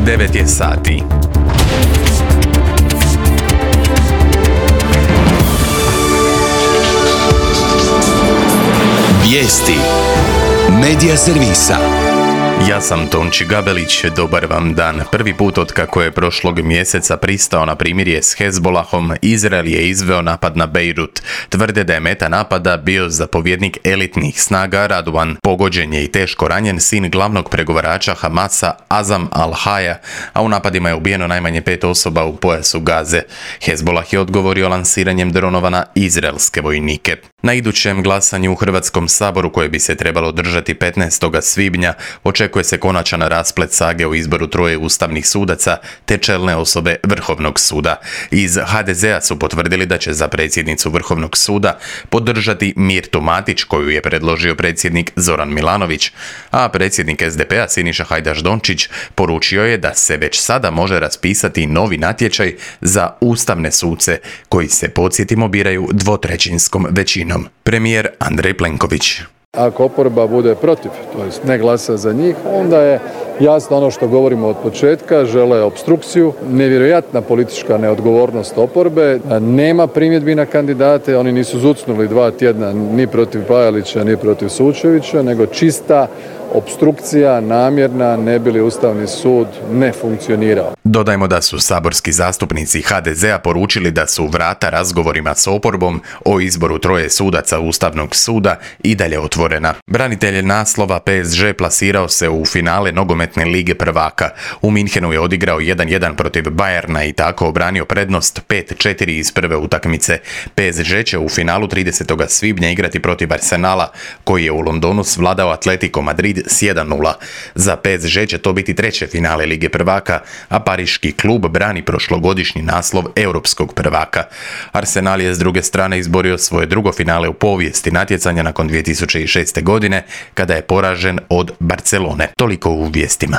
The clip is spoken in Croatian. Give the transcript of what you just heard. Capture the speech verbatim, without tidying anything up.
devet je sati. Vijesti Medija servisa. Ja sam Tonči Gabelić, dobar vam dan. Prvi put od kako je prošlog mjeseca pristao na primirje s Hezbolahom, Izrael je izveo napad na Bejrut. Tvrde da je meta napada bio zapovjednik elitnih snaga Radwan. Pogođen je i teško ranjen sin glavnog pregovarača Hamasa Azam al-Haja, a u napadima je ubijeno najmanje pet osoba u pojasu Gaze. Hezbolah je odgovorio lansiranjem dronova na izraelske vojnike. Na idućem glasanju u Hrvatskom saboru, koje bi se trebalo održati petnaestog svibnja, očekuje se konačan rasplet sage o izboru troje ustavnih sudaca te čelne osobe Vrhovnog suda. Iz ha de zea su potvrdili da će za predsjednicu Vrhovnog suda podržati Mirtu Matić, koju je predložio predsjednik Zoran Milanović, a predsjednik es de pe a Siniša Hajdaš Dončić poručio je da se već sada može raspisati novi natječaj za ustavne suce, koji se, podsjetimo, biraju dvotrećinskom većinom. Premijer Andrej Plenković. Ako oporba bude protiv, to jest ne glasa za njih, onda je jasno ono što govorimo od početka, žele opstrukciju, nevjerojatna politička neodgovornost oporbe, nema primjedbi na kandidate, oni nisu zucnuli dva tjedna ni protiv Pajalića, ni protiv Sučevića, nego čista opstrukcija, namjerna, ne bi li Ustavni sud ne funkcionirao. Dodajmo da su saborski zastupnici ha de zea poručili da su vrata razgovorima s oporbom o izboru troje sudaca Ustavnog suda i dalje otvorena. Branitelj naslova pe es ge plasirao se u finale nogometne lige prvaka. U Minhenu je odigrao jedan jedan protiv Bayerna i tako obranio prednost pet četiri iz prve utakmice. pe es ge će u finalu tridesetog svibnja igrati protiv Arsenala, koji je u Londonu svladao Atletico Madrid s jedan nula. Za pe es ge će to biti treće finale lige prvaka, a pariški klub brani prošlogodišnji naslov europskog prvaka. Arsenal je s druge strane izborio svoje drugo finale u povijesti natjecanja nakon dvije tisuće šeste. godine, kada je poražen od Barcelone. Toliko u vijestima.